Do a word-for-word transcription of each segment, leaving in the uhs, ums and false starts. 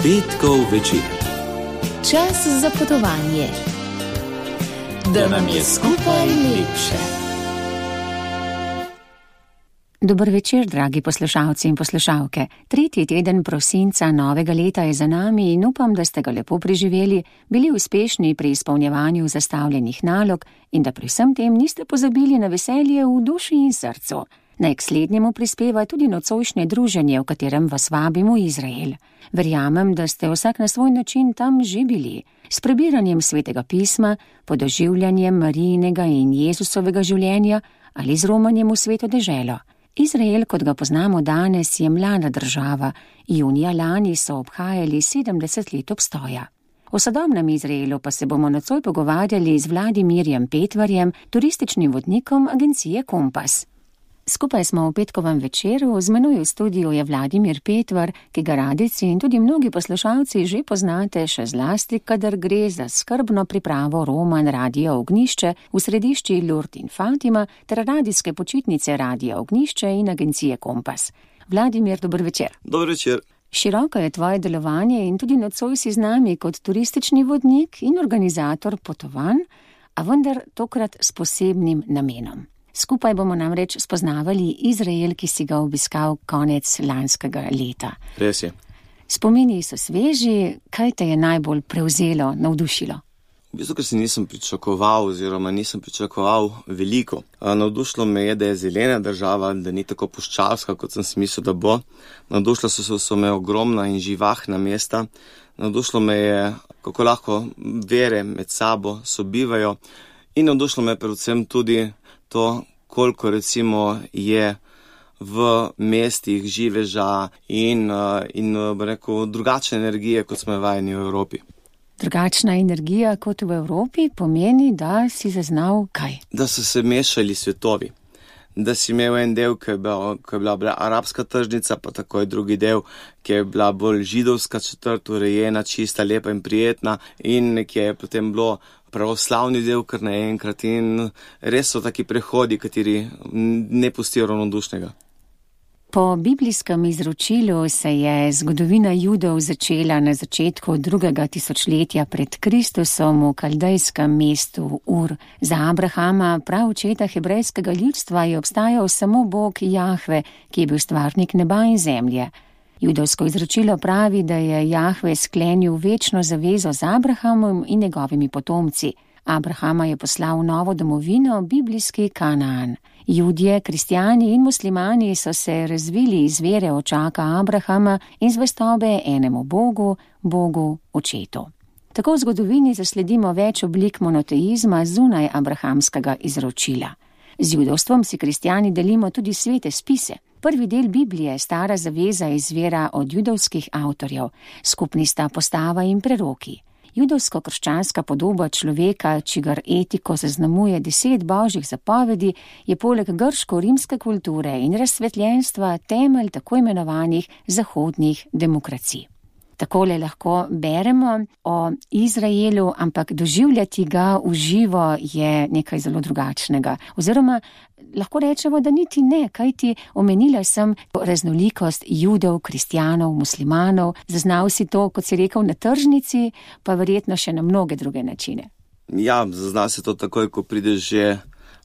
Petkov večer. Čas za potovanje, da nam je skupaj lepše. Dober večer, dragi poslušalci in poslušalke. Tretji teden prosinca novega leta je za nami in upam, da ste ga lepo preživeli, bili uspešni pri izpolnjevanju zastavljenih nalog in da pri vsem tem niste pozabili na veselje v duši in srcu. Naj k slednjemu prispeva tudi nocojšnje druženje, v katerem vas vabimo v Izrael. Verjamem, da ste vsak na svoj način tam že bili. S prebiranjem svetega pisma, podoživljanjem Marijinega in Jezusovega življenja ali z romanjem v sveto deželo. Izrael, kot ga poznamo danes, je mlada država. Junija lani so obhajali sedemdeset let obstoja. O sodobnem Izraelu pa se bomo nocoj pogovarjali z Vladimirjem Petvarjem, turističnim vodnikom agencije Kompas. Skupaj smo v petkovem večeru, z menoj v studiu je Vladimir Petvar, ki ga radici in tudi mnogi poslušalci že poznate, še zlasti, kadar gre za skrbno pripravo roman Radio Ognjišče v središči Lurd in Fatima ter radijske počitnice Radio Ognjišče in agencije Kompas. Vladimir, dober večer. Dober večer. Široko je tvoje delovanje in tudi nocoj si z nami kot turistični vodnik in organizator potovanj, a vendar tokrat s posebnim namenom. Skupaj bomo namreč spoznavali Izrael, ki si ga obiskal konec lanskega leta. Res je. Spomini so sveži, kaj te je najbolj prevzelo, navdušilo? V bistvu, ker si nisem pričakoval oziroma nisem pričakoval veliko. Navdušilo me je, da je zelena država, da ni tako puščavska, kot sem si mislil, da bo. Navdušilo so, so me ogromna in živahna mesta. Navdušilo me je, kako lahko vere med sabo sobivajo. In navdušilo me predvsem tudi to, koliko recimo je v mestih živeža in, in rekel, drugačne energije, kot smo vajeni v Evropi. Drugačna energija kot v Evropi pomeni, da si zaznal kaj? Da so se mešali svetovi. Da si imel en del, ki je bila, ki je bila, bila arabska tržnica, pa takoj drugi del, ki je bila bolj židovska četrt, urejena, čista, lepa in prijetna, in nekje je potem bilo pravoslavni del kar naenkrat in res so taki prehodi, kateri ne pustijo ravnodušnega. Po biblijskem izročilu se je zgodovina Judov začela na začetku drugega tisočletja pred Kristusom v kaldejskem mestu Ur. Za Abrahama, prav očeta hebrejskega ljudstva, je obstajal samo Bog Jahve, ki je bil stvarnik neba in zemlje. Judovsko izročilo pravi, da je Jahve sklenil večno zavezo z Abrahamom in njegovimi potomci. Abrahama je poslal v novo domovino, biblijski Kanaan. Judje, kristjani in muslimani so se razvili iz vere očaka Abrahama in zvestobe enemu Bogu, Bogu očetu. Tako v zgodovini zasledimo več oblik monoteizma zunaj abrahamskega izročila. Z judovstvom si kristjani delimo tudi svete spise. Prvi del Biblije, stara zaveza, izvira od judovskih avtorjev, skupni sta postava in preroki. Judovsko-krščanska podoba človeka, čigar etiko zaznamuje deset božjih zapovedi, je poleg grško-rimske kulture in razsvetljenstva temelj tako imenovanih zahodnih demokracij. Takole lahko beremo o Izraelu, ampak doživljati ga v živo je nekaj zelo drugačnega. Oziroma, lahko rečemo, da niti ne, kajti omenila sem raznolikost Judov, kristjanov, muslimanov, zaznal si to, kot si rekel, na tržnici, pa verjetno še na mnoge druge načine. Ja, zaznal si to takoj, ko prideš že,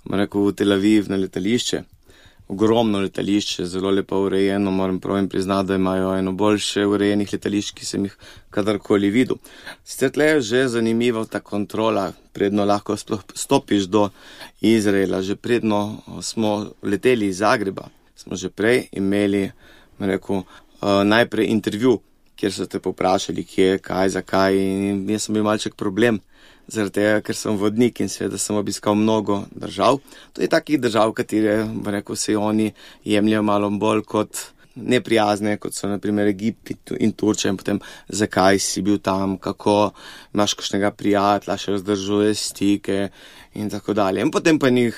rekel, v Tel Aviv na letališče. Ogromno letališče, zelo lepo urejeno, moram prav in priznati, da imajo eno boljše urejenih letališč, ki sem jih kadarkoli videl. Sicer tle je že zanimiva ta kontrola, predno lahko sploh stopiš do Izraela, že predno smo leteli iz Zagreba, smo že prej imeli, rekel, najprej intervju, kjer so te poprašali, kje, kaj, zakaj, in jaz sem bil malček problem. Zaradi tega, ker sem vodnik in seveda sem obiskal mnogo držav. To je takih držav, katere, rekel se, oni jemljajo malo bolj kot neprijazne, kot so na primer Egipt in Turčija, in potem zakaj si bil tam, kako imaš kakšnega prijatelja, še vzdržuje stike in tako dalje. In potem pa njih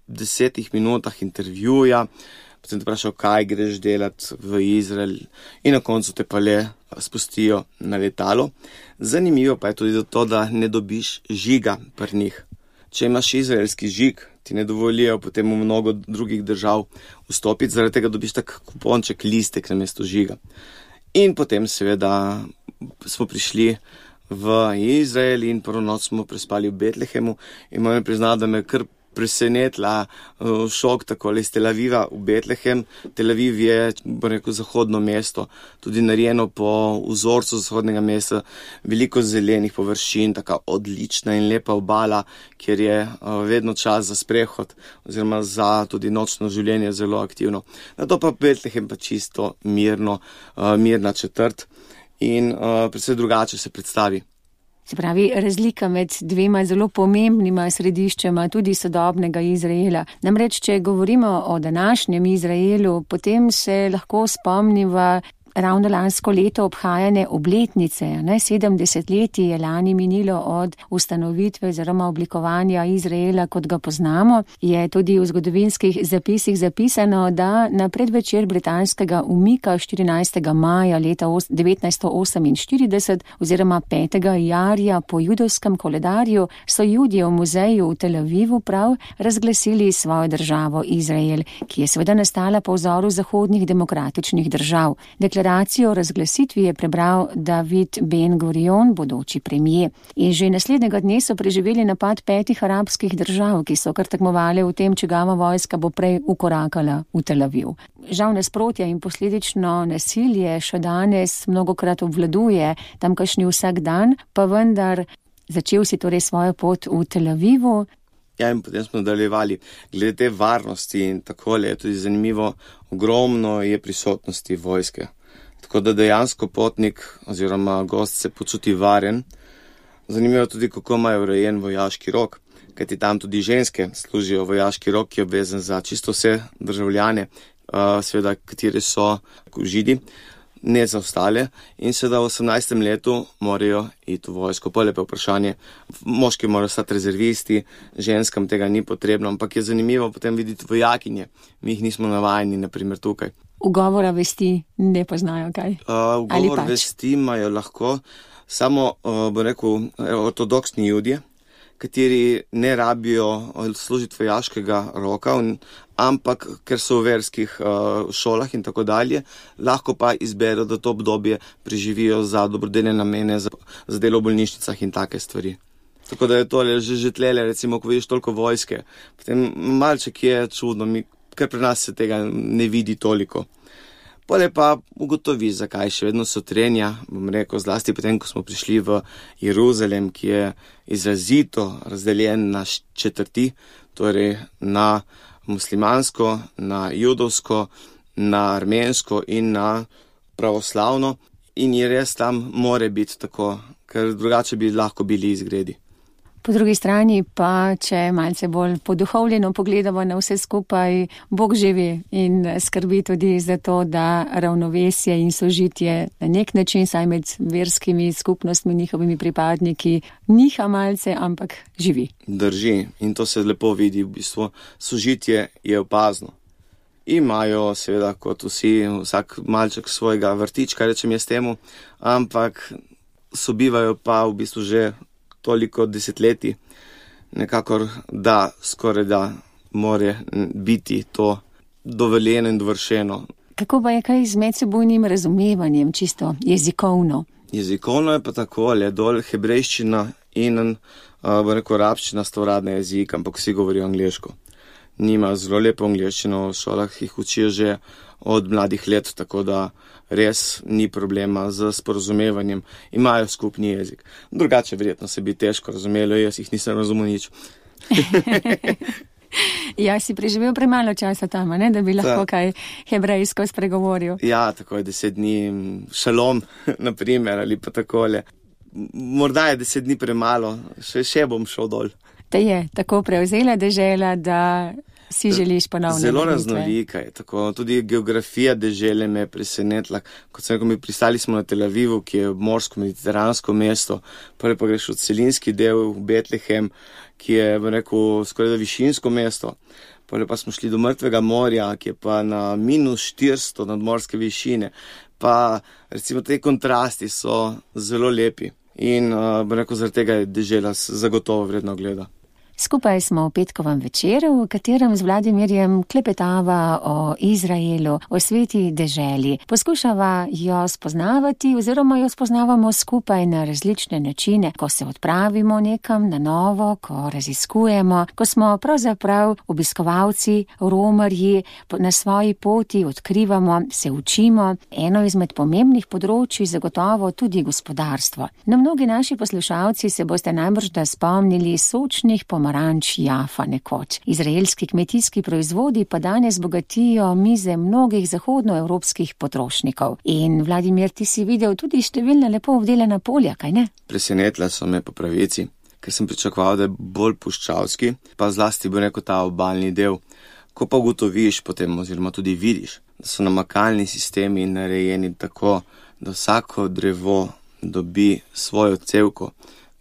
desetih minutah intervjuja, potem te vprašal, kaj greš delati v Izrael, in na koncu te pa le spustijo na letalo. Zanimivo pa je tudi to, da ne dobiš žiga pri njih. Če imaš izraelski žig, ti ne dovolijo potem v mnogo drugih držav vstopiti, zaradi tega dobiš tak kuponček, listek namesto žiga. In potem seveda smo prišli v Izrael in prvo noč smo prespali v Betlehemu in moram priznati, da me kar presenetila šok takole iz Tel Aviva v Betlehem. Tel Aviv je, bo rekel, zahodno mesto, tudi narejeno po vzorcu zahodnega mesta, veliko zelenih površin, taka odlična in lepa obala, kjer je vedno čas za sprehod oziroma za tudi nočno življenje zelo aktivno. Nato pa Betlehem pa čisto mirno, mirna četrt in predvsem drugače se predstavi. Se pravi, razlika med dvema zelo pomembnima središčema tudi sodobnega Izraela. Namreč, če govorimo o današnjem Izraelu, potem se lahko spomniva ravno lansko leto obhajane obletnice. Ne? sedemdeset let je lani minilo od ustanovitve oziroma oblikovanja Izraela, kot ga poznamo. Je tudi v zgodovinskih zapisih zapisano, da na predvečer britanskega umika štirinajstega maja leta devetnajststo oseminštirideset oziroma petega jarja po judovskem koledarju so Judje v muzeju v Tel Avivu prav razglasili svojo državo Izrael, ki je seveda nastala po vzoru zahodnih demokratičnih držav. Deklaracijo o razglasitvi je prebral David Ben Gurion, bodoči premijer. In že naslednjega dne so preživeli napad petih arabskih držav, ki so kar tekmovali v tem, čigava vojska bo prej ukorakala v Tel Aviv. Žal nasprotja in posledično nasilje še danes mnogokrat obvladuje tamkajšnji vsak dan, pa vendar začel si torej svojo pot v Tel Avivu. Ja, in potem smo nadaljevali. Glede te varnosti in takole je tudi zanimivo, ogromno je prisotnosti vojske. Tako da dejansko potnik oziroma gost se počuti varen. Zanimivo tudi, kako imajo urejen vojaški rok, kajti tam tudi ženske služijo vojaški rok, ki je obvezen za čisto vse državljane, seveda, kateri so Židi, ne za ostale. In seveda v osemnajstem letu morajo iti v vojsko. Pole pa vprašanje, moški morajo stati rezervisti, ženskam tega ni potrebno, ampak je zanimivo potem videti vojakinje. Mi jih nismo navajeni, naprimer tukaj. Ugovora vesti ne poznajo, kaj? Uh, ugovor pač? Vesti imajo lahko samo, uh, bo rekel, ortodoksni Judje, kateri ne rabijo služiti vojaškega roka, ampak ker so v verskih uh, šolah in tako dalje, lahko pa izberejo, da to obdobje preživijo za dobrodelne namene, za, za delo v bolnišnicah in take stvari. Tako da je tole že že tlele, recimo, ko vidiš toliko vojske, potem malček je čudno, mi ker pri nas se tega ne vidi toliko. Pole pa ugotovi, zakaj še vedno so trenja, bom rekel, zlasti potem, ko smo prišli v Jeruzalem, ki je izrazito razdeljen na četrti, torej na muslimansko, na judovsko, na armensko in na pravoslavno. In je res tam more biti tako, ker drugače bi lahko bili izgredi. Po drugi strani pa, če malce bolj poduhovljeno pogledamo na vse skupaj, Bog živi in skrbi tudi za to, da ravnovesje in sožitje na nek način, saj med verskimi skupnostmi, njihovimi pripadniki, niha malce, ampak živi. Drži in to se lepo vidi, v bistvu sožitje je opazno. Imajo seveda kot vsi, vsak malček svojega vrtička, rečem jaz temu, ampak sobivajo pa v bistvu že toliko desetletij, nekakor da skoraj da more biti to dovoljeno in dovršeno. Kako pa je kaj z medsebojnim razumevanjem, čisto jezikovno? Jezikovno je pa takole, dol hebrejščina in, bo rekel, arabščina sta uradna jezika, ampak vsi govorijo angleško. Nima zelo lepo angleščino, v šolah jih učijo že od mladih let, tako da res ni problema z sporazumevanjem. Imajo skupni jezik. Drugače verjetno se bi težko razumelo, jaz jih nisem razumel nič. Ja, si preživel premalo časa tam, ne, da bi lahko Ta. kaj hebrejsko spregovoril. Ja, tako je deset dni, šalom, naprimer, ali pa takole. Morda je deset dni premalo, še, še bom šel dol. Te je tako prevzela dežela, da si želiš ponovno. Zelo raznolika je, tako tudi geografija dežele me je presenetila. Kot sem rekel, mi pristali smo na Tel Avivu, ki je morsko-mediteransko mesto, prvi pa greš v celinski del v Betlehem, ki je, bom rekel, skoraj da višinsko mesto. Potem pa smo šli do Mrtvega morja, ki je pa na minus štiristo nadmorske višine. Pa recimo te kontrasti so zelo lepi in, uh, bom rekel, zaradi tega je dežela zagotovo vredno gleda. Skupaj smo v petkovem večeru, v katerem z Vladimirjem klepetava o Izraelu, o sveti deželi. Poskušava jo spoznavati oziroma jo spoznavamo skupaj na različne načine, ko se odpravimo nekam na novo, ko raziskujemo, ko smo pravzaprav obiskovalci, romarji, na svoji poti odkrivamo, se učimo. Eno izmed pomembnih področij zagotovo tudi gospodarstvo. Na mnogi naši poslušalci se boste najbrž da spomnili sočnih pomaranč Jafa nekoč. Izraelski kmetijski proizvodi pa danes bogatijo mize mnogih zahodnoevropskih potrošnikov. In Vladimir, ti si videl tudi številna lepo obdelana polja, kaj ne? Presenetila so me po pravici, ker sem pričakoval, da je bolj puščavski, pa zlasti bo rekel ta obalni del. Ko pa ugotoviš potem oziroma tudi vidiš, da so namakalni sistemi narejeni tako, da vsako drevo dobi svojo cevko,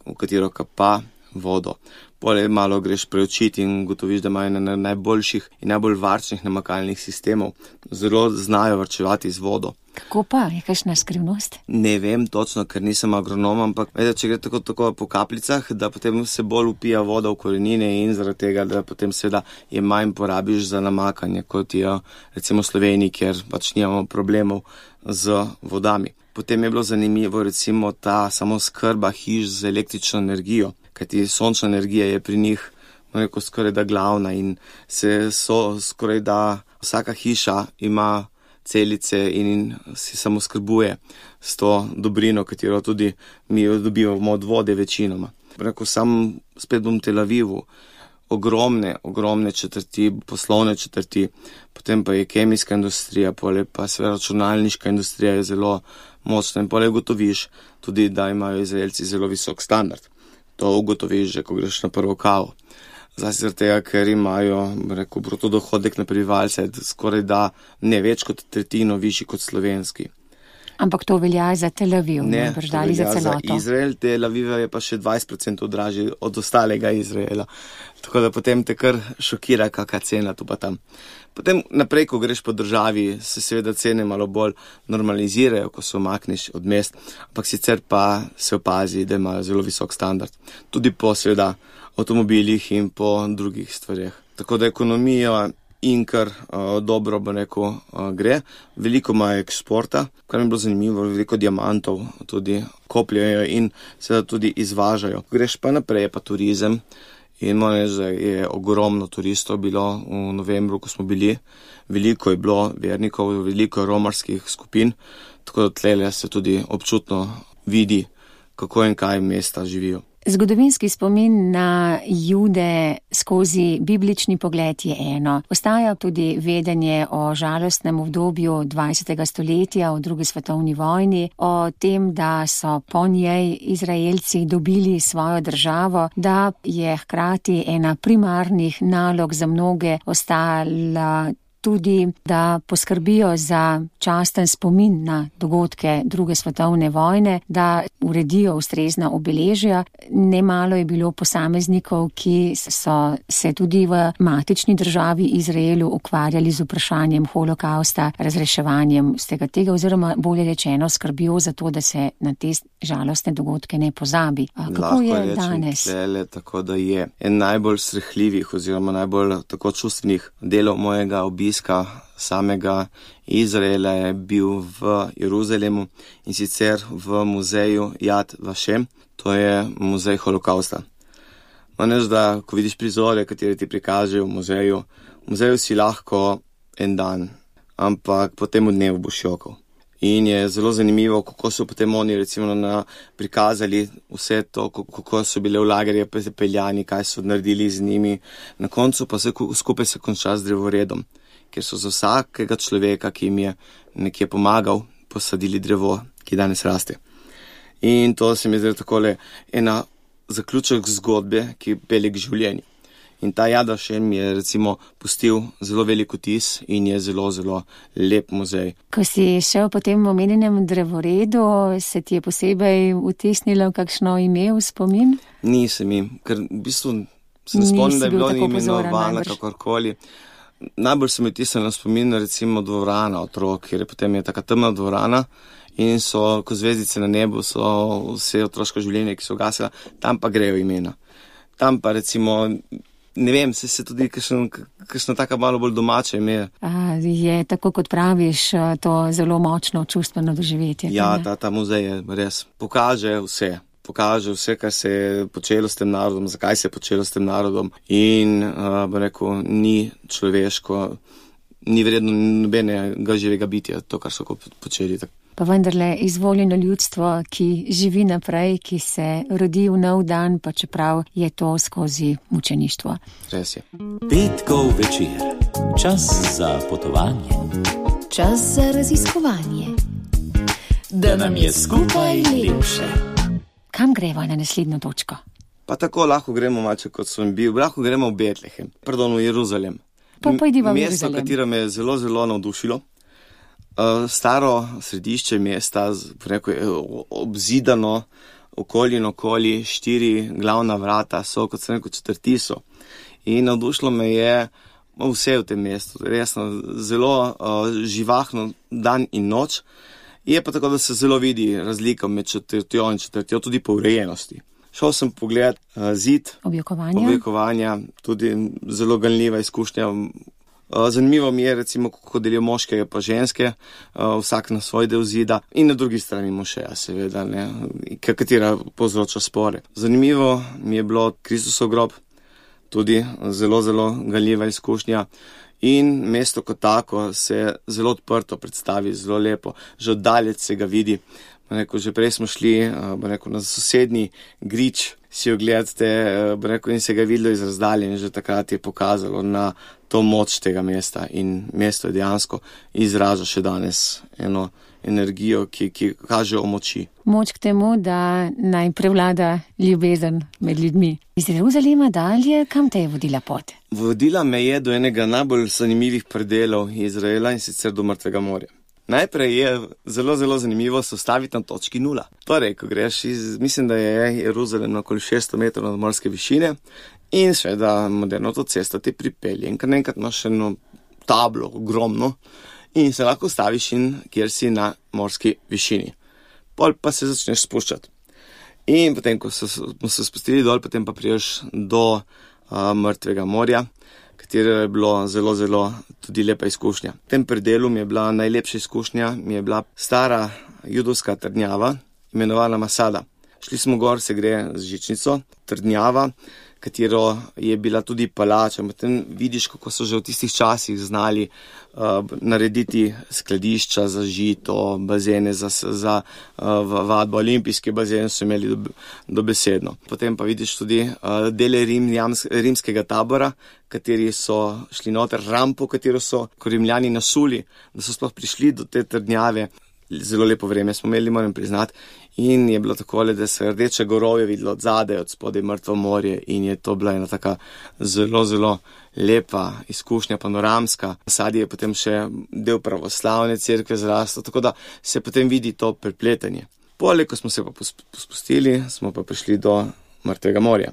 v katero kapa vodo. Poleg malo greš preučiti in ugotoviš, da imajo na najboljših in najbolj varčnih namakalnih sistemov. Zelo znajo varčevati z vodo. Kako pa? Je kakšna skrivnost? Ne vem točno, ker nisem agronom, ampak vedete, če gre tako, tako po kapljicah, da potem se bolj upija voda v korenine in zaradi tega, da potem seveda je manj porabiš za namakanje, kot je recimo v Sloveniji, kjer pač nimamo problemov z vodami. Potem je bilo zanimivo recimo ta samo skrba hiš z električno energijo, kajti sončna energija je pri njih rekel, skoraj da glavna in se so skoraj da vsaka hiša ima celice in si samo skrbuje s to dobrino, katero tudi mi dobivamo od vode večinoma. Rekel, sam spet bom v Tel Avivu, ogromne, ogromne četrti, poslovne četrti, potem pa je kemijska industrija, poleg pa seveda računalniška industrija je zelo močna in poleg ugotoviš tudi, da imajo Izraelci zelo visok standard. To ugotoviš že, ko greš na prvo kavo. Zlasti zaradi tega, ker imajo, rekel, bruto dohodek na prebivalce skoraj da ne več kot tretjino višji kot slovenski. Ampak to velja za Tel Aviv, ne, to velja za celoto. Za Izrael, Tel Aviv je pa še dvajset procentov dražji od ostalega Izraela. Tako da potem te kar šokira, kakšna cena tu pa tam. Potem naprej, ko greš po državi, se seveda cene malo bolj normalizirajo, ko se omakneš od mest, ampak sicer pa se opazi, da imajo zelo visok standard. Tudi po seveda avtomobilih in po drugih stvareh. Tako da ekonomija in kar uh, dobro, bo rekel, uh, gre. Veliko imajo eksporta, kar mi je bilo zanimivo, veliko diamantov tudi kopljajo in seveda tudi izvažajo. Greš pa naprej, pa turizem. In moram reči, da je ogromno turistov bilo v novembru, ko smo bili. Veliko je bilo vernikov, veliko romarskih skupin, tako da tlele se tudi občutno vidi, kako in kaj mesta živijo. Zgodovinski spomin na Jude skozi biblični pogled je eno. Ostaja tudi vedenje o žalostnem obdobju dvajsetega stoletja, o drugi svetovni vojni, o tem, da so po njej Izraelci dobili svojo državo, da je hkrati ena primarnih nalog za mnoge ostala tudi, da poskrbijo za časten spomin na dogodke druge svetovne vojne, da uredijo ustrezna obeležja. Nemalo je bilo posameznikov, ki so se tudi v matični državi Izraelu ukvarjali z vprašanjem holokausta, razreševanjem vsega tega, oziroma bolje rečeno skrbijo za to, da se na te žalostne dogodke ne pozabi. A kako Lahko je rečem danes? Tlele, tako da je en najbolj srhljivih oziroma najbolj tako čustvenih delov mojega obiska samega Izraela je bil v Jeruzalemu in sicer v muzeju Yad Vashem, to je muzej holokausta. Manj, da ko vidiš prizore, katere ti prikažejo v muzeju, v muzeju si lahko en dan, ampak po tem dnevu boš jokal. In je zelo zanimivo, kako so potem oni recimo na, prikazali vse to, kako so bile v lagerje peljani, kaj so naredili z njimi. Na koncu pa se skupaj se konča z drevoredom, ker so za vsakega človeka, ki jim je nekje pomagal, posadili drevo, ki danes raste. In to se mi zdi takole ena zaključek zgodbe, ki pelje k življenju. In ta Yad Vashem je recimo pustil zelo velik vtis in je zelo, zelo lep muzej. Ko si šel po tem omenjenem drevoredu, se ti je posebej vtisnilo kakšno ime v spomin? Nisem mi, ker v bistvu se ne spomnim, da je bilo imenovano kakorkoli. Najbolj se mi vtisnilo spomin recimo dvorana otrok, ker je potem je taka temna dvorana in so, ko zvezdice na nebu, so vse otroško življenje, ki so gasila, tam pa grejo imena. Tam pa recimo, ne vem, se se tudi kakšna taka malo bolj domače ime. A, je tako, kot praviš, to zelo močno čustveno doživetje. Ja, ta, ta muzej je res. Pokaže vse. Pokaže vse, kar se je počelo s tem narodom, zakaj se je počelo s tem narodom in, uh, bo rekel, ni človeško, ni vredno nobenega živega bitja, to, kar so počeli. Pa vendarle izvoljeno ljudstvo, ki živi naprej, ki se rodi v nov dan, pa čeprav je to skozi mučeništvo. Res je. Petkov večer. Čas za potovanje. Čas za raziskovanje. Da nam je skupaj lepše. Kam gremo na naslednjo točko? Pa tako lahko gremo malce, kot sem bil. Lahko gremo v Betlehem, pardon, v Jeruzalem. Pa pojdiva v Mesto, Jeruzalem. katero me je zelo, zelo navdušilo. Uh, staro središče mesta, rekel, obzidano, okoli in okoli, štiri glavna vrata so, kot sem rekel, četrti so. In navdušilo me je vse v tem mestu, resno, zelo uh, živahno dan in noč. Je pa tako, da se zelo vidi razlika med četrtjo in četrtjo, tudi po urejenosti. Šel sem pogledat uh, zid, Objokovanja. objokovanja, tudi zelo ganljiva izkušnja. Uh, zanimivo mi je, recimo, kako delijo moške pa ženske, uh, vsak na svoj del zida in na drugi strani mošeja, seveda, ne, katera povzroča spore. Zanimivo mi je bilo Kristusov grob, tudi zelo, zelo ganljiva izkušnja. In mesto kot tako se zelo odprto predstavi, zelo lepo, že oddalec se ga vidi. Rekel, že prej smo šli rekel, na sosednji grič si ogledate rekel, in se ga videlo iz razdalje in že takrat je pokazalo na to moč tega mesta in mesto je dejansko izraža še danes eno energijo, ki, ki kaže o moči. Moč k temu, da naj prevlada ljubezen med ljudmi. Iz Jeruzalema dalje, kam te je vodila pot? Vodila me je do enega najbolj zanimivih predelov Izraela in sicer do Mrtvega morja. Najprej je zelo, zelo zanimivo se ustaviti na točki nula. Torej, ko greš iz, mislim, da je Jeruzalem na okoli šeststo metrov nadmorske višine in seveda moderno to cesto te pripelje. In kar enkrat imaš eno tablo, ogromno, in se lahko ustaviš in kjer si na morski višini. Pol pa se začneš spuščati. In potem, ko so, smo se spustili dol, potem pa priješ do uh, Mrtvega morja, katero je bilo zelo, zelo tudi lepa izkušnja. V tem predelu mi je bila najlepša izkušnja, mi je bila stara judovska trdnjava, imenovana Masada. Šli smo gor, se gre z žičnico, trdnjava, katero je bila tudi palača. Potem vidiš, kako so že v tistih časih znali uh, narediti skladišča za žito, bazene za, za uh, vadbo, olimpijski bazen so imeli do, dobesedno. Potem pa vidiš tudi uh, dele rim, jams, rimskega tabora, kateri so šli noter, rampo, katero so Rimljani nasuli, da so sploh prišli do te trdnjave. Zelo lepo vreme smo imeli, moram priznati. In je bilo takole, da se rdeče gorovje videlo od zadaj, od spodaj Mrtvo morje in je to bila ena taka zelo, zelo lepa izkušnja, panoramska. Sadi je potem še del pravoslavne cerkve zrastel, tako da se potem vidi to prepletanje. Poleg, ko smo se pa spustili, smo pa prišli do Mrtvega morja.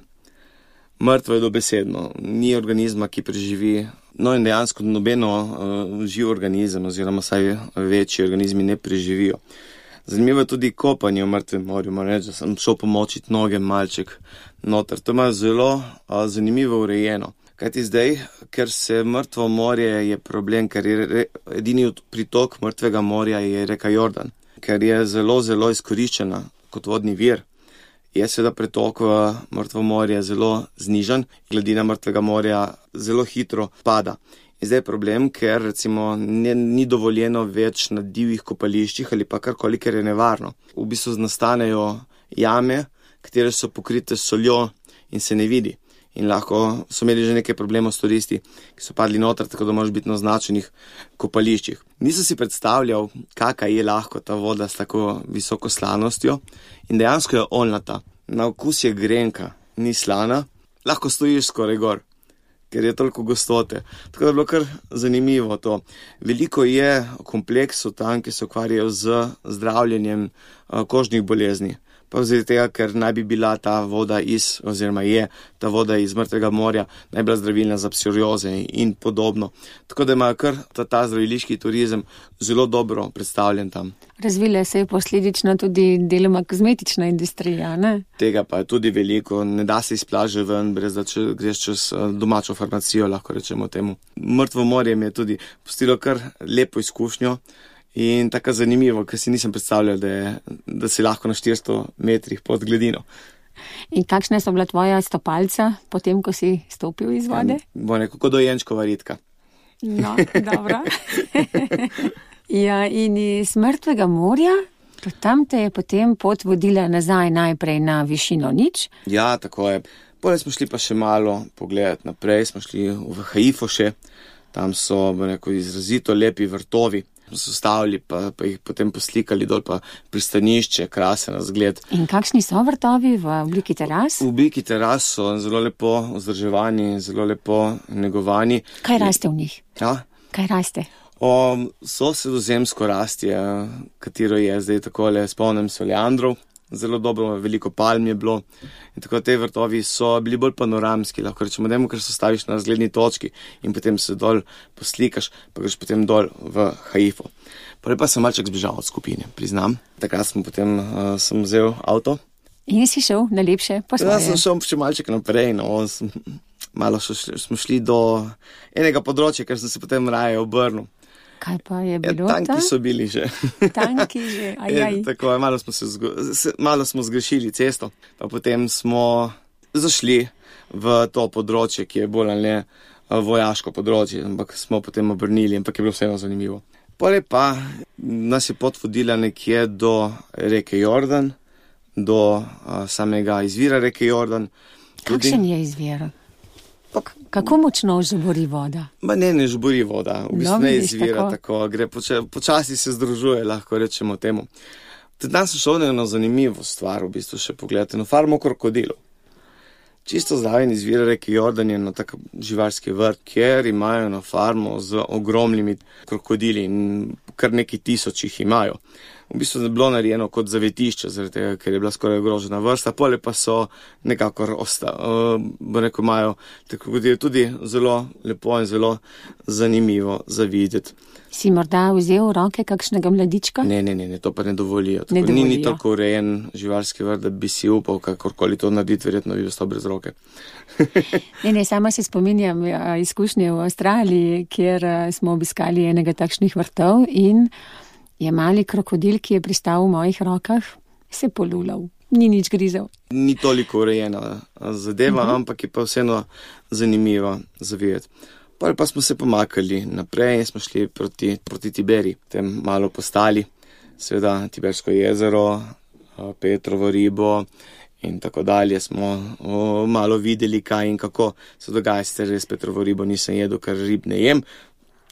Mrtvo je dobesedno, ni organizma, ki preživi, no in dejansko nobeno uh, živ organizem oziroma saj večji organizmi ne preživijo. Zanimivo je tudi kopanje v Mrtvem morju, moram reči, da sem šel pomočiti noge malček noter. To ima zelo uh, zanimivo urejeno. Kajti zdaj, ker se Mrtvo morje je problem, ker je re, edini pritok Mrtvega morja je reka Jordan, ker je zelo, zelo izkoriščena kot vodni vir. Je seveda pretok v Mrtvo morje zelo znižan, gladina Mrtvega morja zelo hitro pada. In zdaj je problem, ker recimo ne, ni dovoljeno več na divjih kopališčih ali pa karkoli, ker je nevarno. V bistvu nastanejo jame, katere so pokrite s soljo in se ne vidi. In lahko so imeli že nekaj problemov s turisti, ki so padli noter, tako da moraš biti na označenih kopališčih. Nisem si predstavljal, kakva je lahko ta voda s tako visoko slanostjo in dejansko je oljnata. Na okus je grenka, ni slana, lahko stojiš skoraj gor, ker je toliko gostote. Tako da je bilo kar zanimivo to. Veliko je kompleksov tam, ki se ukvarjajo z zdravljenjem kožnih bolezni. pa zaradi tega, ker naj bi bila ta voda iz, oziroma je ta voda iz mrtvega morja naj bila zdravilna za psoriaze in podobno. Tako da imajo kar ta, ta zdraviliški turizem zelo dobro predstavljen tam. Razvila se je posledično tudi deloma kozmetična industrija, ne? Tega pa je tudi veliko, ne da se izplaže ven, brez da če greš čez domačo farmacijo, lahko rečemo temu. Mrtvo morje mi je tudi pustilo kar lepo izkušnjo in tako zanimivo, ker si nisem predstavljal, da, je, da si lahko na štiristo metrih pod gladino. In kakšne so bila tvoja stopalca, potem, ko si stopil iz vode? Bo nekako dojenčkova ritka. No, dobro. Ja, in iz mrtvega morja, tam te je potem pot vodila nazaj najprej na višino nič. Ja, tako je. Potem smo šli pa še malo pogledati naprej, smo šli v Haifo še, tam so neko izrazito lepi vrtovi, smo se ustavili, pa, pa jih potem poslikali dol, pa pristanišče, krasen razgled. In kakšni so vrtovi v obliki teras? V obliki teras so zelo lepo vzdrževani, zelo lepo negovani. Kaj raste v njih? Ja? Kaj raste? O, so sredozemsko rastje, katero je zdaj takole, spomnim se oleandrov, zelo dobro, veliko palm je bilo in tako te vrtovi so bili bolj panoramski, lahko rečemo, demo, ker se staviš na razgledni točki in potem se dol poslikaš, pa greš potem dol v Haifo. Prej pa sem malček zbežal od skupine, priznam. Takrat smo potem, uh, sem vzel avto. In si šel na lepše po svoje? Ja, sem šel še malček naprej, no, sem, malo šli, smo šli do enega področja, ker sem se potem raje obrnil. Kaj pa je bilo ja, tanki tam? so bili že. Tanki že, ajaj. Je, tako, malo, smo se zgo, se, malo smo zgrešili cesto, pa potem smo zašli v to področje, ki je bolj ali ne vojaško področje, ampak smo potem obrnili, ampak je bilo vseeno zanimivo. Potem pa nas je pot vodila nekje do reke Jordan, do a, samega izvira reke Jordan. Tudi, kakšen je izvir? Kako močno žubori voda? Ma ne, ne žubori voda, v bistvu no, ne izvira tako, tako gre poče, počasi se združuje, lahko rečemo temu. Tudi danes sem šel na eno zanimivo stvar, v bistvu še pogledati, na farmo krokodilov. Čisto zraven izvira reke Jordan je na tak živalski vrt, kjer imajo na farmo z ogromnimi krokodili in kar neki tisoč jih imajo. V bistvu je bilo narejeno kot zavetišče, zaradi tega, ker je bila skoraj ogrožena vrsta, pole pa so nekakor ostali, uh, rekel, imajo tako tudi zelo lepo in zelo zanimivo za videti. Si morda vzel v roke kakšnega mladička? Ne, ne, ne, ne, to pa ne dovolijo. Tako, ne dovolijo. Ni, ni tako urejen živalski vrt, da bi si upal kakorkoli to narediti, verjetno bi ostal brez roke. ne, ne, sama se spominjam izkušnje v Avstraliji, kjer smo obiskali enega takšnih vrtov in je mali krokodil, ki je pristal v mojih rokah, se polulal. Ni nič grizel. Ni toliko urejena zadeva, uh-huh. ampak je pa vseeno zanimivo za videti. Potem pa smo se pomakali naprej in smo šli proti, proti Tiberi, tem malo postali, seveda Tibersko jezero, Petrovo ribo in tako dalje. Smo o, malo videli, kaj in kako se dogaja, sicer res Petrovo ribo nisem jedel, ker rib ne jem.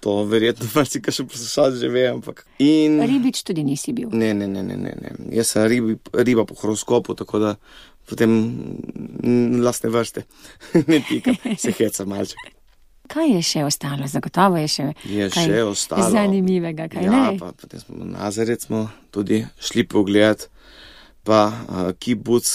To verjetno marsi, kaj še poslušati že ve, ampak... In... Ribič tudi nisi bil? Ne, ne, ne, ne, ne, ne. Jaz sem ribi, riba po horoskopu, tako da potem lastne vrste ne pika, se heca malček. Kaj je še ostalo? Zagotovo je še je kaj še ostalo. Zanimivega, kaj ja, ne? Ja, pa potem smo na Nazaret smo tudi šli pogledati, pa uh, kibuc,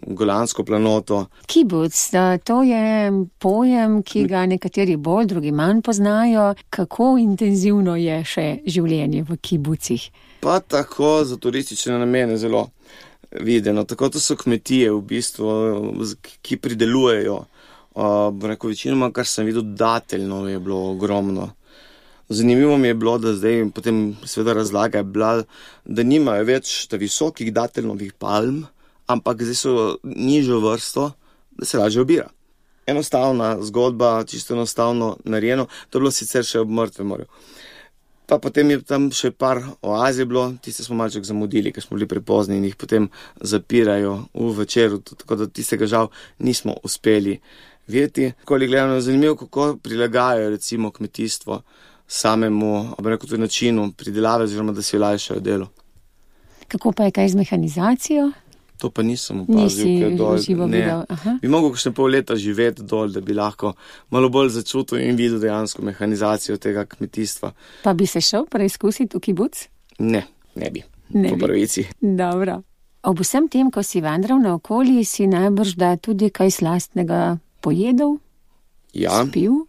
Golansko planoto. Kibuc, to je pojem, ki ga nekateri bolj, drugi manj poznajo. Kako intenzivno je še življenje v kibucih? Pa tako za turistične namene zelo videno. Tako to so kmetije v bistvu, ki pridelujejo. Uh, rekel, večinoma, kar sem videl, dateljno je bilo ogromno. Zanimivo mi je bilo, da zdaj potem seveda razlaga je bila, da nimajo več ta visokih dateljnovih palm, ampak zdaj so nižjo vrsto, da se lažje obira. Enostavna zgodba, čisto enostavno narejeno, to je bilo sicer še ob Mrtvem morju. Pa potem je tam še par oazij bilo, tiste smo malček zamudili, ker smo bili prepozni in jih potem zapirajo v večeru, tako da tistega žal nismo uspeli videti. Koli gledano je zanimivo, kako prilagajajo recimo kmetijstvo samemu, rekel, tudi načinu pridelave, oziroma da si olajšajo delo. Kako pa je kaj z mehanizacijo? To pa nisem opazil, ker dol, ne, bi mogel kakšne pol leta živeti dol, da bi lahko malo bolj začutil in videl dejansko mehanizacijo tega kmetijstva. Pa bi se šel preizkusiti v kibuc? Ne, ne bi. Ne po bi. Pravici. Dobro. Ob vsem tem, ko si vandral naokoli, si najbrž da tudi kaj slastnega pojedel, Ja, spil?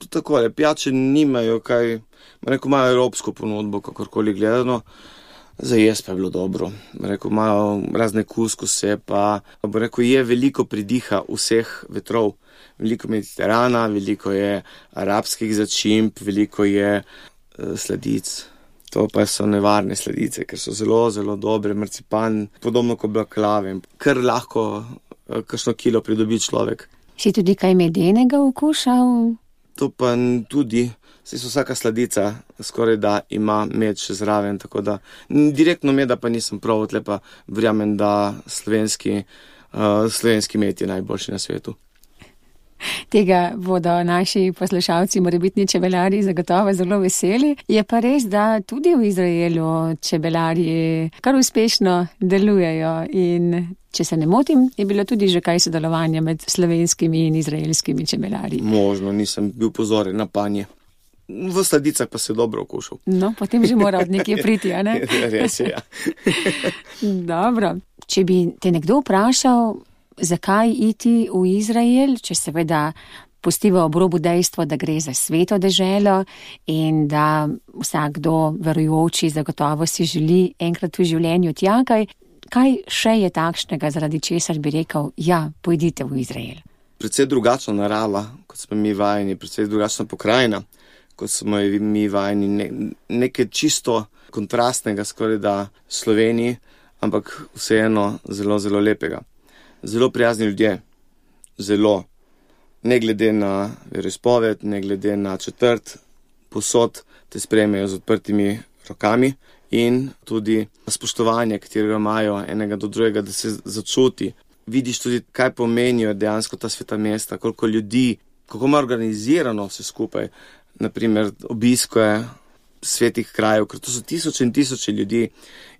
tako je, pijače nimajo kaj, rekel, imajo evropsko ponudbo, kakorkoli gledano, za jaz pa je bilo dobro. Rekel, imajo razne kuskuse, pa bo rekel, je veliko pridiha vseh vetrov, veliko Mediterana, veliko je arabskih začimb, veliko je uh, sladic. To pa so nevarne sladice, ker so zelo, zelo dobre, marcipan, podobno kot baklave, kar lahko uh, kakšno kilo pridobi človek. Si tudi kaj medenega okušal? To pa tudi, saj so vsaka sladica skoraj da ima med še zraven, tako da direktno meda pa nisem prav, tle pa verjamem, da slovenski, uh, slovenski med je najboljši na svetu. Tega bodo naši poslušalci, morebitni čebelarji, zagotovo zelo veseli. Je pa res, da tudi v Izraelu čebelarji kar uspešno delujejo in če se ne motim, je bilo tudi že kaj sodelovanja med slovenskimi in izraelskimi čebelarji. Možno, nisem bil pozoren na panje. V sladicah pa se dobro okušal. No, potem že mora od nekje priti, a ne? Res je, ja. Dobro. Če bi te nekdo vprašal, zakaj iti v Izrael, če seveda pustiva ob robu dejstvo, da gre za sveto deželo in da vsakdo verujoči zagotovo si želi enkrat v življenju tja, kaj, kaj še je takšnega, zaradi česar bi rekel, ja, pojdite v Izrael? Predvsej drugačna narava, kot smo mi vajeni, predvsej drugačna pokrajina, kot smo mi vajeni, ne, nekaj čisto kontrastnega skoraj da Sloveniji, ampak vseeno zelo, zelo lepega. Zelo prijazni ljudje, zelo, ne glede na veroizpoved, ne glede na četrt, posod te sprejmejo z odprtimi rokami in tudi spoštovanje, katerega imajo enega do drugega, da se začuti. Vidiš tudi, kaj pomenijo dejansko ta sveta mesta, koliko ljudi, kako ima organizirano vse skupaj, naprimer obiskuje svetih krajev, ker to so tisoče in tisoče ljudi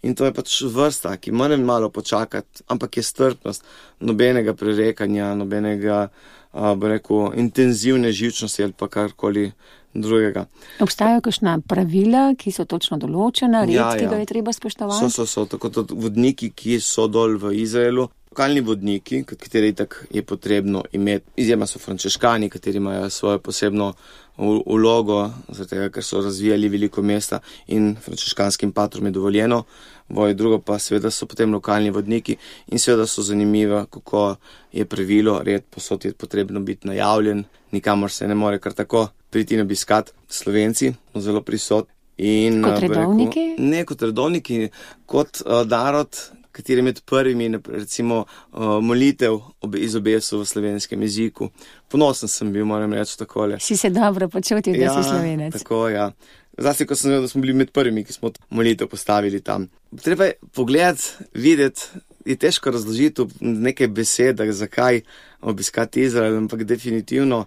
in to je pač vrsta, ki mora malo počakati, ampak je strpnost, nobenega prerekanja, nobenega, a, bo rekel, intenzivne živčnosti ali pa karkoli drugega. Obstajajo kakšna pravila, ki so točno določena, red, Ja, ki ja. ga je treba spoštovati? So, so, so, tako tudi vodniki, ki so dol v Izraelu, lokalni vodniki, kateri tak je potrebno imeti. Izjema so frančiškani, kateri imajo svojo posebno vlogo, zaradi tega, ker so razvijali veliko mesta in frančiškanskim patrom je dovoljeno. Voje drugo pa seveda so potem lokalni vodniki in seveda so zanimive, kako je pravilo, red posod je potrebno biti najavljen, nikamor se ne more kar tako priti in obiskat. Slovenci smo zelo prisotni. In, Kot redovniki? Rekel, ne kot redovniki, kot uh, narod, kateri med prvimi, recimo, uh, molitev ob, izobesil v slovenskem jeziku. Ponosen sem bil, moram reči takole. Si se dobro počutil, da Ja, si Slovenec? tako, ja. Zlasti, ko sem vedel, da smo bili med prvimi, ki smo molitev postavili tam. Treba je pogledati, videti, je težko razložiti v nekaj besedah, zakaj obiskati Izrael, ampak definitivno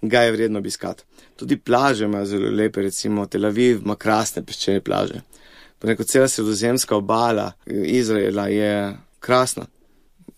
ga je vredno obiskati. Tudi plaže imajo zelo lepe, recimo Tel Aviv ima krasne peščene plaže. Preko cela sredozemska obala Izraela je krasna.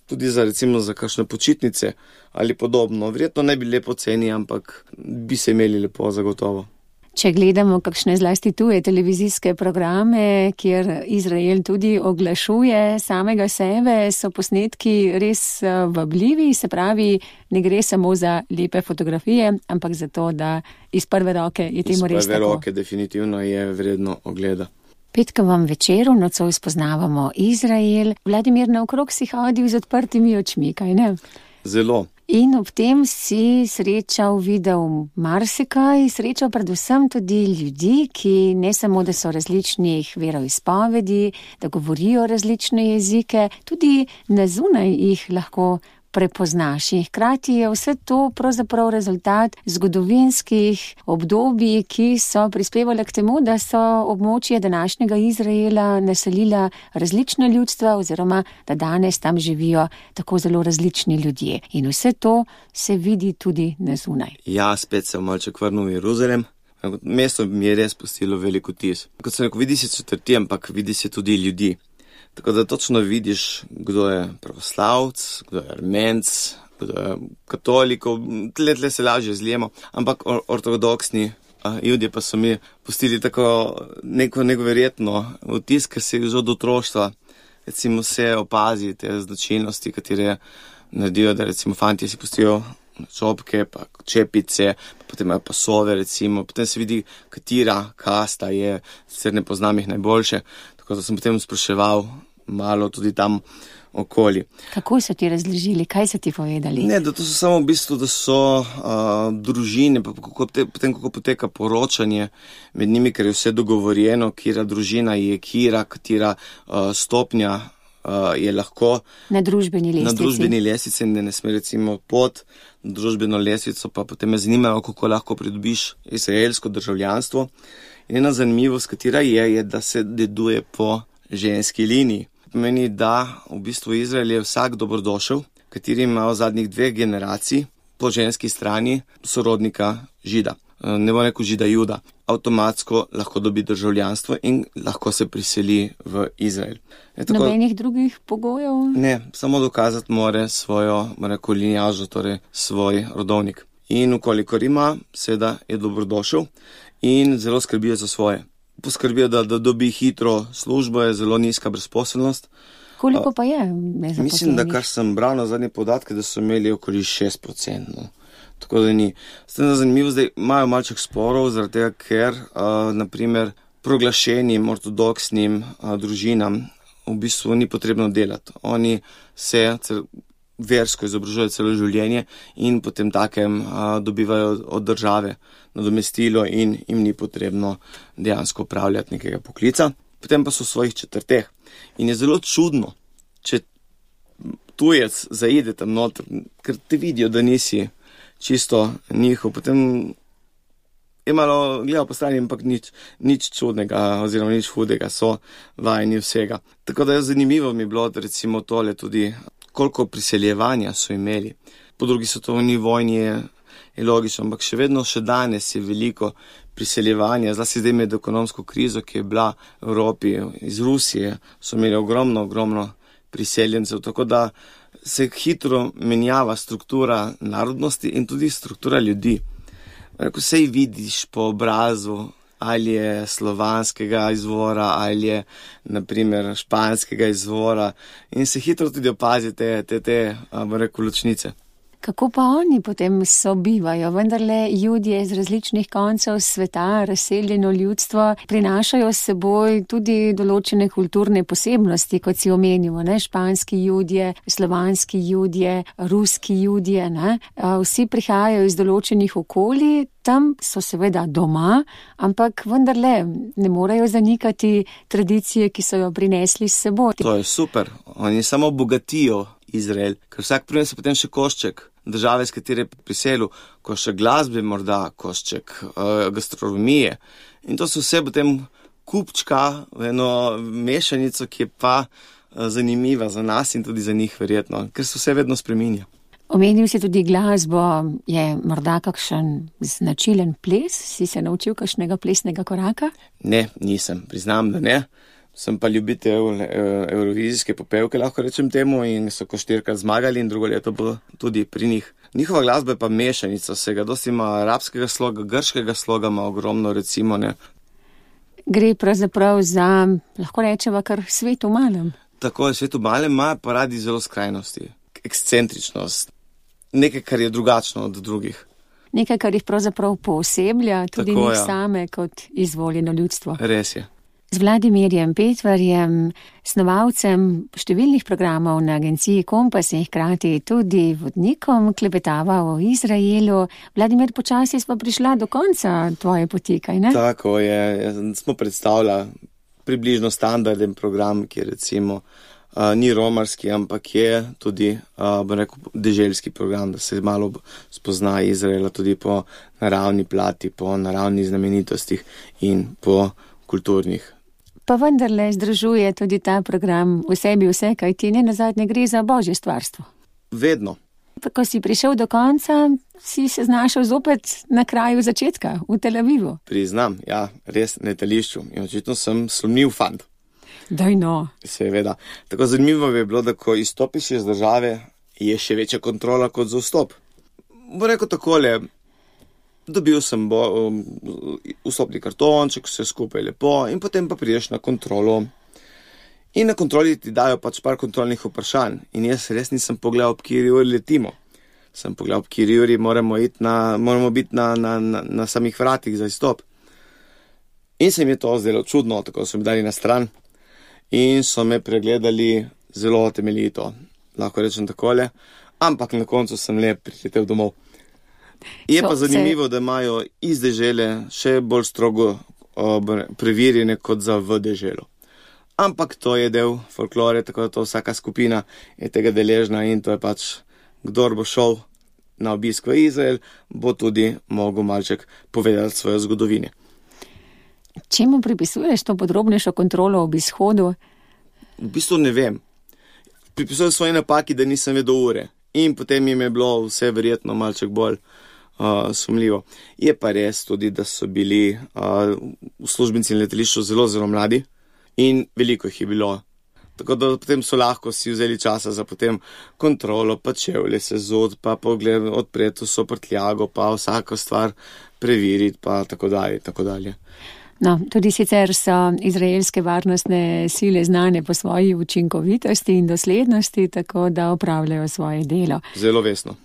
Tudi za, recimo, za kakšne počitnice ali podobno. Verjetno ne bi lepo ceni, ampak bi se imeli lepo zagotovo. Če gledamo kakšne zlasti tuje televizijske programe, kjer Izrael tudi oglašuje samega sebe, so posnetki res vabljivi, se pravi, ne gre samo za lepe fotografije, ampak za to, da iz prve roke je temu res tako. Iz prve roke definitivno je vredno ogleda. Petkovem večeru nocoj spoznavamo Izrael. Vladimir, naokrog si hodil z odprtimi očmi, kaj ne? Zelo. In ob tem si srečal, videl marsikaj, srečal predvsem tudi ljudi, ki ne samo, da so različnih veroizpovedi, da govorijo različne jezike, tudi na zunaj jih lahko prepoznaš. In hkrati je vse to pravzaprav rezultat zgodovinskih obdobij, ki so prispevali k temu, da so območje današnjega Izraela naselila različna ljudstva oziroma da danes tam živijo tako zelo različni ljudje. In vse to se vidi tudi na zunaj. Ja, spet se malček vrnil v Jeruzalem. Mesto mi je res pustilo veliko vtis. Kot sem rekel, vidi se četrti, ampak vidi se tudi ljudi. Tako da točno vidiš, kdo je pravoslavc, kdo je armenc, kdo je katolikov, tle, tle se lažje zlijemo, ampak or- ortodoksni a, judje pa so mi pustili tako neko neverjetno vtis, ker se je že od otroštva recimo se opazi te značilnosti, katere naredijo, da recimo fantje si pustijo čopke, pa čepice, pa potem imajo pasove recimo, potem se vidi, katera kasta je, sicer ne poznam jih najboljše, tako da sem potem spraševal malo tudi tam okoli. Kako so ti razložili, kaj so ti povedali? Ne, da to so samo v bistvu, da so uh, družine, pa kako te, potem kako poteka poročanje med njimi, ker je vse dogovorjeno, kira družina je kira, katera uh, stopnja uh, je lahko na družbeni lestvici. Na družbeni lestvici, da ne sme recimo pod družbeno lestvico, pa potem me zanimajo, kako lahko pridobiš izraelsko državljanstvo. In ena zanimivost, katera je, je, da se deduje po ženski liniji. Pomeni, da v bistvu Izrael je vsak dobrodošel, kateri ima v zadnjih dveh generacij po ženski strani sorodnika žida. Ne bo rekel žida juda. Avtomatsko lahko dobi državljanstvo in lahko se priseli v Izrael. Tako, nobenih drugih pogojev? Ne, samo dokazati more svojo rekel, linjažo, torej svoj rodovnik. In ukolikor ima, seveda je dobrodošel in zelo skrbijo za svoje. Poskrbijo, da, da dobi hitro službo, je zelo nizka brezposelnost. Koliko pa je? Mislim, da kar sem bral na zadnje podatke, da so imeli okoli šest procentov. Tako da ni. Zdaj, zanimivo, zdaj imajo malček sporov, zaradi tega, ker uh, naprimer proglašenim ortodoksnim uh, družinam v bistvu ni potrebno delati. Oni se cel, versko izobražujejo celo življenje in potem takem a, dobivajo od države nadomestilo in jim ni potrebno dejansko upravljati nekega poklica. Potem pa so v svojih četrteh. In je zelo čudno, če tujec zaide tam noter, ker te vidijo, da nisi čisto njihov, potem je malo gledal po strani, ampak nič, nič čudnega oziroma nič hudega, so vajeni vsega. Tako da je zanimivo mi bilo, da recimo tole tudi, koliko priseljevanja so imeli. Po drugi svetovni vojni je, je logično, ampak še vedno, še danes je veliko priseljevanja, zlasti zdaj med ekonomsko krizo, ki je bila v Evropi, iz Rusije, so imeli ogromno, ogromno priseljencev, tako da se hitro menjava struktura narodnosti in tudi struktura ljudi. Ko sej vidiš po obrazu, ali je slovanskega izvora, ali je naprimer španskega izvora in se hitro tudi opazi te, te, te rekel, ločnice. Kako pa oni potem sobivajo? Vendarle Judje iz različnih koncev sveta, razseljeno ljudstvo, prinašajo s seboj tudi določene kulturne posebnosti, kot si omenimo, ne? Španski Judje, slovanski Judje, ruski Judje, ne? Vsi prihajajo iz določenih okolij, tam so seveda doma, ampak vendarle ne morejo zanikati tradicije, ki so jo prinesli s seboj. To je super, oni samo bogatijo Izrael, ker vsak prinese potem še košček države, s katere je priselil, košček glasbe morda, košček uh, gastronomije. In to so vse potem kupčka v eno mešanico, ki je pa uh, zanimiva za nas in tudi za njih verjetno, ker se vse vedno spreminja. Omenil si tudi glasbo, je morda kakšen značilen ples? Si se naučil kakšnega plesnega koraka? Ne, nisem, priznam, da ne. Sem pa ljubitelj evrovizijske popevke, lahko rečem temu, in so ko štirikrat zmagali in drugo leto bo tudi pri njih. Njihova glasba je pa mešanica vsega, dosti ima arabskega sloga, grškega sloga ima ogromno, recimo, ne. Gre pravzaprav za, lahko rečeva, kar svet v malem. Tako je, svet v malem ima pa radi zelo skrajnosti, ekscentričnost, nekaj, kar je drugačno od drugih. Nekaj, kar jih pravzaprav pooseblja, tudi Tako, njih ja. same kot izvoljeno ljudstvo. Res je. Z Vladimirjem Petvarjem, snovalcem številnih programov na agenciji Kompas in hkrati tudi vodnikom, klepetava o Izraelu. Vladimir, počasi smo prišla do konca tvoje poti, kaj ne? Tako je, smo predstavljali približno standarden program, ki recimo uh, ni romarski, ampak je tudi, uh, bo rekel, deželski program, da se malo spozna Izraela tudi po naravni plati, po naravnih znamenitostih in po kulturnih. Pa vendarle združuje tudi ta program v sebi vse, kaj ti ne nazadnje gre za božje stvarstvo. Vedno. Ko si prišel do konca, si se znašel zopet na kraju začetka, v Tel Avivu. Priznam, ja, res na letališču. In očitno sem slomljiv fant. Daj no. Seveda. Tako zanimivo je bilo, da ko izstopiš iz države, je še večja kontrola kot za vstop. Bo rekel takole, dobil sem bo, um, vstopni kartonček, vse skupaj lepo in potem pa prideš na kontrolo In na kontroli ti dajo pač par kontrolnih vprašanj. In jaz res nisem pogledal, ob kjeri uri letimo. Sem pogledal, ob kjeri uri moramo, iti na, moramo biti na, na, na, na samih vratih za izstop. In se mi je to zdelo čudno, tako so mi dali na stran in so me pregledali zelo temeljito. Lahko rečem takole, ampak na koncu sem le priletel domov. Je pa zanimivo, da imajo iz dežele še bolj strogo preverjene kot za v deželo. Ampak to je del folklore, tako da to vsaka skupina je tega deležna in to je pač, kdor bo šel na obisk v Izrael, bo tudi mogel malček povedati svojo zgodovine. Čemu pripisuješ to podrobnejšo kontrolo ob izhodu? V bistvu ne vem. Pripisujem svoje napaki, da nisem vedel ure. In potem jim je bilo vse verjetno malček bolj uh, sumljivo. Je pa res tudi, da so bili uh, uslužbenci na letališču zelo, zelo mladi in veliko jih je bilo. Tako da potem so lahko si vzeli časa za potem kontrolo, pa čevlje se zud, pa pogled odpreti vso prtljago, pa vsako stvar preveriti, pa tako dalje, tako dalje. No, tudi sicer so izraelske varnostne sile znane po svoji učinkovitosti in doslednosti, tako da opravljajo svoje delo. Zelo vesno.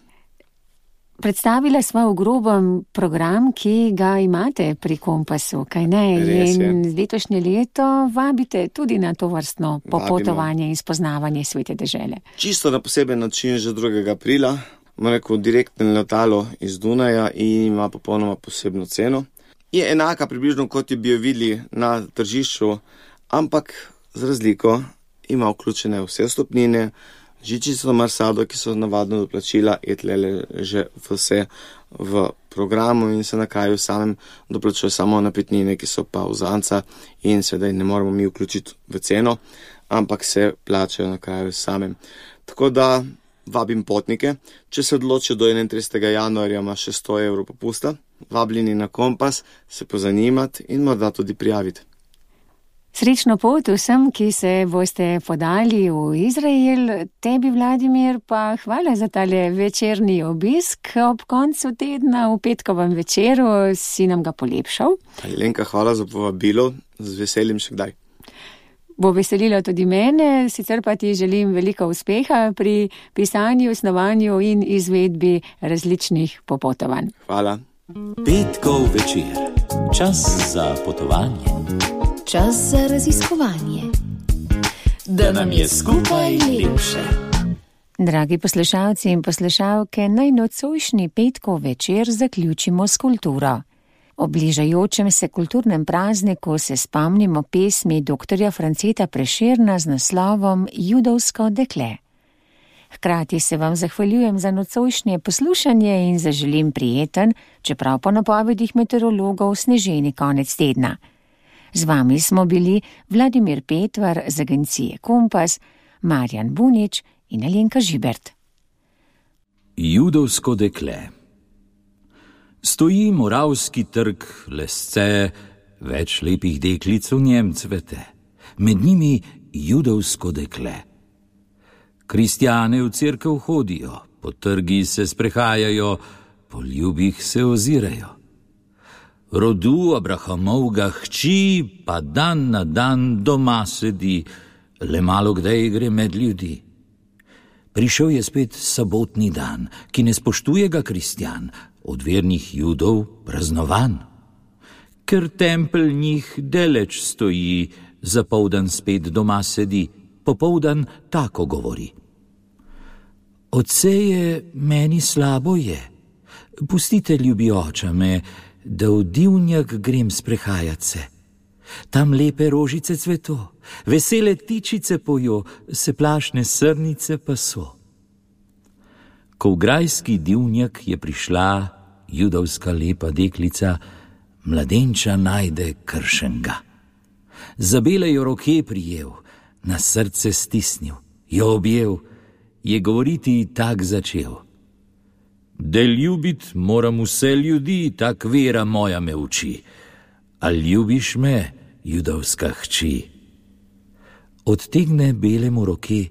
Predstavila sva v grobem program, ki ga imate pri Kompasu, kaj ne? Res je. In z letošnje leto vabite tudi na to vrstno popotovanje in spoznavanje svete dežele. Čisto na poseben način že drugega aprila, ima neko direktno letalo iz Dunaja in ima popolnoma posebno ceno. Je enaka približno, kot bi jo videli na tržišču, ampak z razliko ima vključene vse stopnine, žičico marsado, ki so navadno doplačila, je tlele že vse v programu in se na kraju samem doplačuje samo napitnine, ki so pa vzanca in sedaj ne moramo mi vključiti v ceno, ampak se plačajo na kraju samem. Tako da vabim potnike, če se odločijo do enaintridesetega januarja, ima še sto evrov popusta. Vabljeni na Kompas, se pozanimati in morda tudi prijaviti. Srečno pot vsem, ki se boste podali v Izrael. Tebi, Vladimir, pa hvala za tale večerni obisk ob koncu tedna v petkovem večeru. Si nam ga polepšal. Lenka, hvala za povabilo, z veseljem še kdaj. Bo veselilo tudi mene, sicer pa ti želim veliko uspeha pri pisanju, snovanju in izvedbi različnih popotovanj. Hvala. Petkov večer. Čas za potovanje. Čas za raziskovanje. Da nam je skupaj lepše. Dragi poslušalci in poslušalke, naj nocojšnji petkov večer zaključimo s kulturo. Ob bližajočem se kulturnem prazniku se spomnimo pesmi doktorja Franceta Prešerna z naslovom Judovsko dekle. Hkrati se vam zahvaljujem za nocojšnje poslušanje in zaželim prijeten, čeprav po napovedih meteorologov sneženi konec tedna. Z vami smo bili Vladimir Petvar z agencije Kompas, Marjan Bunič in Alenka Žibert. Judovsko dekle. Stoji Moravski trg, lesce, več lepih deklic v njem cvete, med njimi judovsko dekle. Kristjane v cerkev hodijo, po trgi se sprehajajo, po ljubih se ozirajo. Rodu Abrahamovga hči pa dan na dan doma sedi, le malo kdaj gre med ljudi. Prišel je spet sabotni dan, ki ne spoštuje ga Kristjan, od vernih Judov praznovan. Ker tempelj njih deleč stoji, zapoldan spet doma sedi, popoldan tako govori. Otce je, meni slabo je, pustite ljubi oča me, da v divnjak grem sprehajat se. Tam lepe rožice cveto, vesele tičice pojo, se plašne srnice pa so. Ko v grajski divnjak je prišla judovska lepa deklica, mladenča najde kršenga. Za bele jo roke prijel, na srce stisnil, jo objel, je govoriti tak začel. Da ljubit moram vse ljudi, tak vera moja me uči. A ljubiš me, judovska hči? Odtegne belemu roke,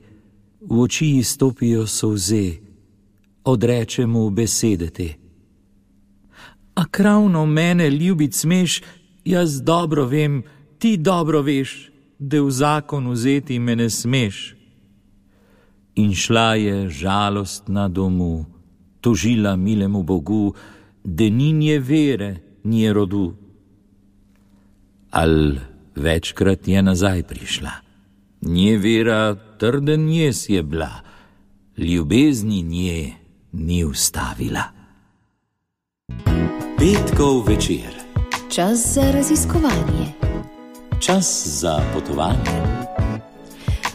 v oči ji stopijo solze, odreče mu besede te. A kravno mene ljubit smeš, jaz dobro vem, ti dobro veš, da v zakon vzeti me ne smeš. In šla je žalostna domu, tožila milemu Bogu, da ni nje vere, nje rodu. Al večkrat je nazaj prišla. Nje vera trden jes je bila, ljubezni nje ni ustavila. Petkov večer. Čas za raziskovanje. Čas za potovanje.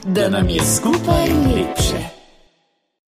Da nam je skupaj lepše.